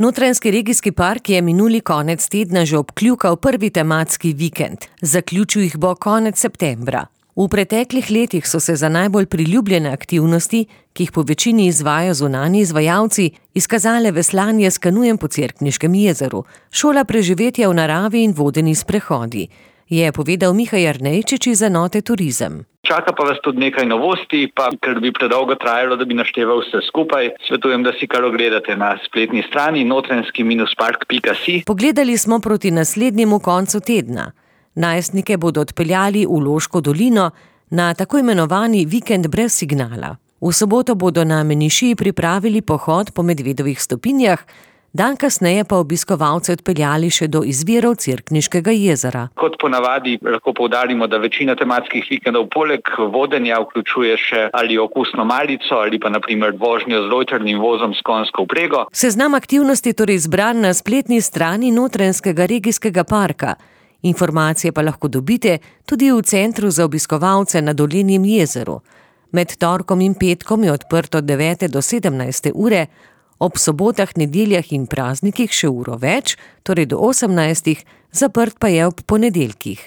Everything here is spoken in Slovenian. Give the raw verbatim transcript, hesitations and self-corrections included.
Notranjski regijski park je minuli konec tedna že obkljukal prvi tematski vikend. Zaključil jih bo konec septembra. V preteklih letih so se za najbolj priljubljene aktivnosti, ki jih po večini izvajajo zunanji izvajalci, izkazale veslanje s kanujem po Cerkniškem jezeru, šola preživetja v naravi in vodeni sprehodi, je povedal Miha Jernejčič iz enote Turizem. Čaka pa vas tudi nekaj novosti, pa ker bi predolgo trajalo, da bi našteval vse skupaj, svetujem, da si kar ogledate na spletni strani notranjski park pika si. Pogledali smo proti naslednjemu koncu tedna. Najstnike bodo odpeljali v Loško dolino na tako imenovani vikend brez signala. V soboto bodo na Menišiji pripravili pohod po Medvedovih stopinjah, dan kasneje pa obiskovalce odpeljali še do izvirov Cerkniškega jezera. Kot ponavadi lahko poudarimo, da večina tematskih vikendov poleg vodenja vključuje še ali okusno malico ali pa na primer vožnjo z lojtrnim vozom s konjsko vprego. Seznam aktivnosti je torej izbran na spletni strani Notranjskega regijskega parka. Informacije pa lahko dobite tudi v centru za obiskovalce na Dolenjem jezeru. Med torkom in petkom je odprto od devete do sedemnajste ure, ob sobotah, nedeljah in praznikih še uro več, torej do osemnajstih, zaprt pa je ob ponedeljkih.